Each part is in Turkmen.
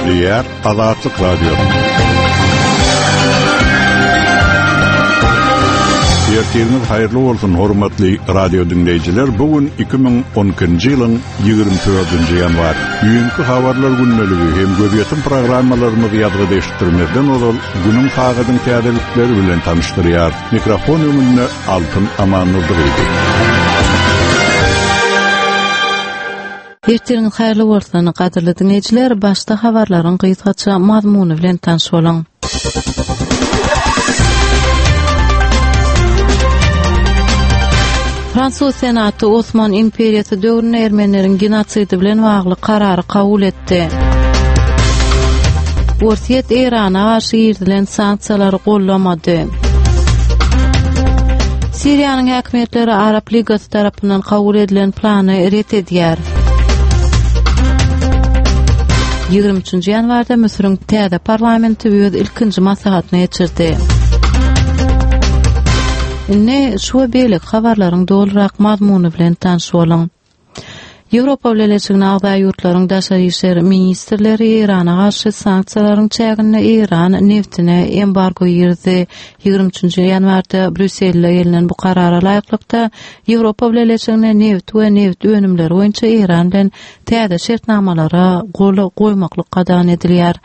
Gepleýär Azatlyk Radiosy. Ertiriňiz haýyrly bolsun, hormatly radio diňleýjiler. Bu gün 2012-nji ýylyň 24-nji ýanwary. Düýnki habarlar gündeligi hem gözýetim programmalarymyzy ýazgyda eşitdirmezden ozal günüň sagadyň täzelikleri bilen tanyşdyrýar. Mikrofon öňünde Altyn Amannurdygydy. Ertiriňiz haýyrly bolsun, gadyrly diňleýjiler, başda habarlaryň gysgaça mazmuny bilen tanyş boluň. Fransuz Senaty Osman imperiýasy döwründe ermenileriň genosidi bilen bagly karary kabul etdi. Orsýet Eýrana garşy girizilen sanksiýalary gollamady. Siriýanyň häkimiýetleri Arap Ligasy tarapyndan kabul edilen plany ret edýär. 23-nji ýanwarda Müsüriň täze parlamenti öz ilkinji maslahatyny geçirdi. Indi şu we beýleki habarlaryň dolurak mazmuny bilen tanyş boluň. Ýewropa Bileleşigine agza ýurtlaryň daşary işler ministrleri Eýrana garşy sanksiýalaryň çäginde Eýran neftine embargo girizdi. 23-nji ýanwarda Brýusselde gelnen bu karara laýyklykda, Ýewropa Bileleşigine nebit we nebit önümleri boýunça Eýran bilen täze şertnamalara gol goýmaklyk gadagan edilýär.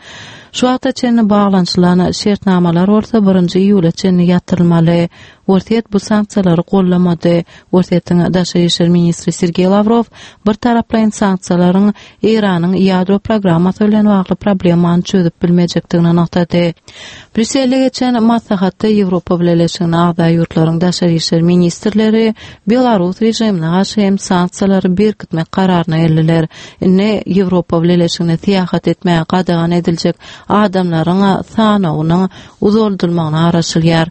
Şu wagta çenli baglanyşylan şertnamalar bolsa birinji iýula çenli ýatyrylmaly. Orsýet bu sanksiýalary gollamady. Orsýetiň daşary işler ministri Sergeý Lawrow bir taraplaýyn sanksiýalaryň Eýranyň ýadro programmasy bilen bagly problemany çözüp bilmejekdigini nygtady. Brýusselde geçen maslahatda Ýewropa Bileleşigine agza ýurtlaryň daşary işler ministrleri belarus režimine garşy hem sanksiýalary berkitmek kararyna geldiler. Indi Ýewropa Bileleşigine syýahat etmäge gadagan ediljek adamlaryň sanawynyň uzaldylmagyna garaşylýar.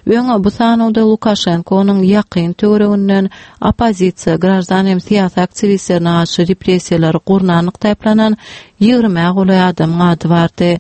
Öň bu sanawda Lukaşenkonyň ýakyn töwereginden oppozisiýa, graždan hem syýasy aktiwistlerine garşy repressiýalary gurnanlykda aýyplanan ýigrimä golaý adamyň ady bardy.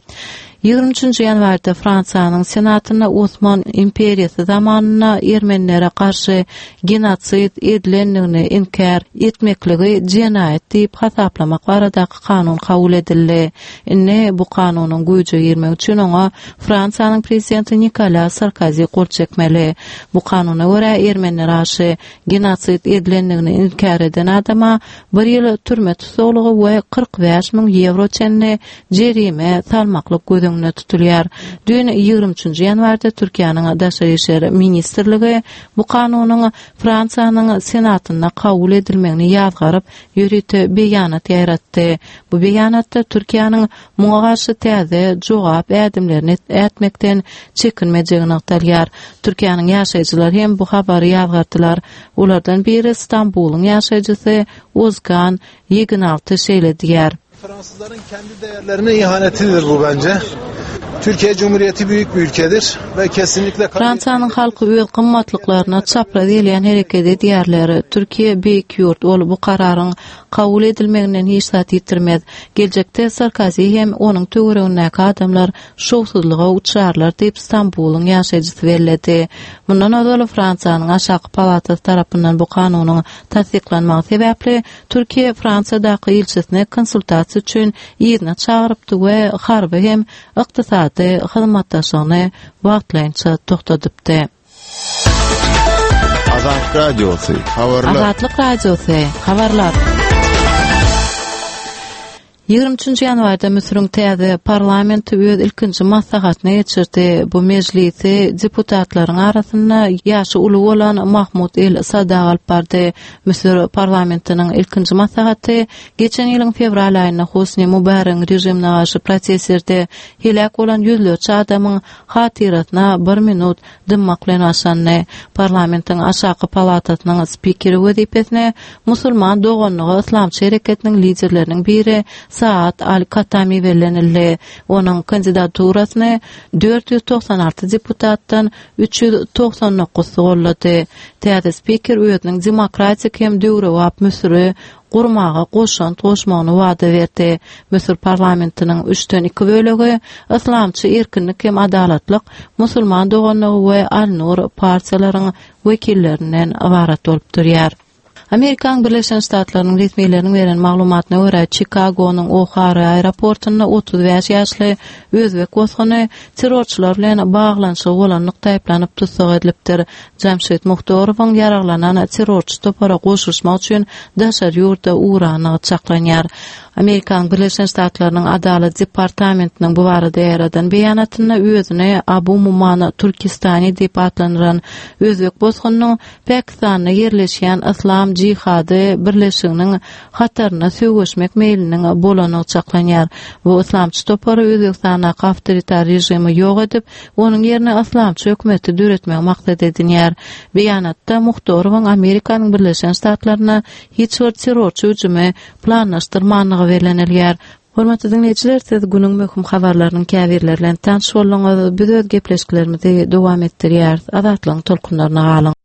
23-nji ýanwarda Fransiýanyň Senatynda Osman imperiýasy zamanynda ermenilere garşy genosid edilendigini inkär etmekligi jenaýat diýip hasaplamak baradaky kanun kabul edildi. Indi bu kanunyň güýje girmegi üçin oňa Fransiýanyň prezidenti Nikolýa Sarkozi gol çekmeli. Bu kanuna görä, ermenilere garşy genosid edilendigini inkär eden adama bir ýyl türme tussaglygy we 45 müň ýewro çenli jerime salmaklyk göz öňünde tutulýar. Düýn, 23-nji ýanwarda Türkiýäniň Daşary işler ministrligi bu kanunyň Fransiýanyň Senatynda kabul edilmegini ýazgaryp, ýörite beýanat ýaýratdy. Bu beýanatda Türkiýäniň muňa garşy täze jogap ädimlerini ätmekden çekinmejegi nygtalýar. Türkiýäniň ýaşaýjylary hem bu habary ýazgardylar. Olardan biri Stambulyň ýaşaýjysy Ozgan Ýeginalty şeýle diýýär. Fransızların kendi değerlerine ihanetidir bu bence. Türkiye Cumhuriyeti büyük bir ülkedir ve kesinlikle Fransiýanyň halky öz gymmatlyklaryna çapraz gelýän hereket edýärler. Türkiýe beýik ýurt, ol bu kararyň kabul edilmeginden hiç zat ýitirmez. Geljekde Sarkozi hem onuň töweregindäki adamlar şowsuzlyga uçrarlar diýip, Stambulyň ýaşaýjysy belledi. Mundan ozal Fransiýanyň aşaky palatasy tarapyndan bu kanunyň tassyklanmagy sebäpli Türkiýe Fransiýadaky ilçisini konsultasiýa üçin yzyna çagyrypdy we harby hem ykdysady hyzmatdaşlygyny wagtlaýynça togtadypdy. Azatlyk Radiosy, habarlar. Azatlyk Radiosy, habarlar. 23-nji ýanwarda Müsüriň täze parlamenti öz ilkinji maslahatyny geçirdi. Bu mejlisi deputatlaryň arasynda ýaşy uly bolan Mahmud El Sadag alyp bardy. Müsür parlamentiniň ilkinji maslahaty geçen ýylyň fewral aýynda Hosni Mubaregiň režimine garşy protestlerde heläk bolan ýüzlerçe adamyň hatyrasyna bir minut dymmak bilen başlandy. Parlamentiň aşaky palatasynyň spikeri wezipesine Musulman doganlygy yslamçy hereketiniň liderleriniň biri Saad al-Katami bellenildi. Onuň kandidaturasyny 496 deputatdan 399-sy goldady. Täze spiker özüniň demokratik hem döwrebap Müsüri gurmaga goşant goşmagyny wada berdi. Müsür parlamentiniň üçden iki bölegi Yslamçy erkinlik hem adalatlyk, Musulman doganlygy we Al-Nur partiýalaryň wekillerinden ybarat bolup durýar. Amerikanyň Birleşen Ştatlarynyň resmileriniň beren maglumatyna görä, Çikagonyň O'Hare aeroportynda 35 ýaşly özbek bosguny terrorçylar bilen baglanyşygy bolanlykda aýyplanyp tussag edilipdir. Jamşid Muhtorowyň ýaraglanan terrorçy topara goşulyşmak üçin daşary ýurda ugrandygy çaklanýar. Amerikanyň Birleşen Ştatlarynyň Adalat departamentiniň bu barada ýaýradan beýanatynda özüni Abu Mumana Türkistani diýip atlandyran özbek bosgunynyň Pakistanda ýerleşýän Yslam jihady birleşiginiň hatarynda söweşmek meýliniň bolandygy çaklanýar. Bu yslamçy topary Özbegistandaky awtoritar režimi ýok edip, onuň ýerine yslamçy hökümeti döretmegi maksat edinýär. Beýanatda Muhtorowyň Amerikanyň Birleşen Ştatlarynda hiç bir terrorçy hüjümi planlaşdyrmandygy bellenilýär. Hormatly diňleýjiler, siz günüň möhüm habarlarynyň käbirleri bilen tanyş bolduňyz. Biz öz gepleşiklerimizi dowam etdirýäris. Azatlygyň tolkunlaryna galyň.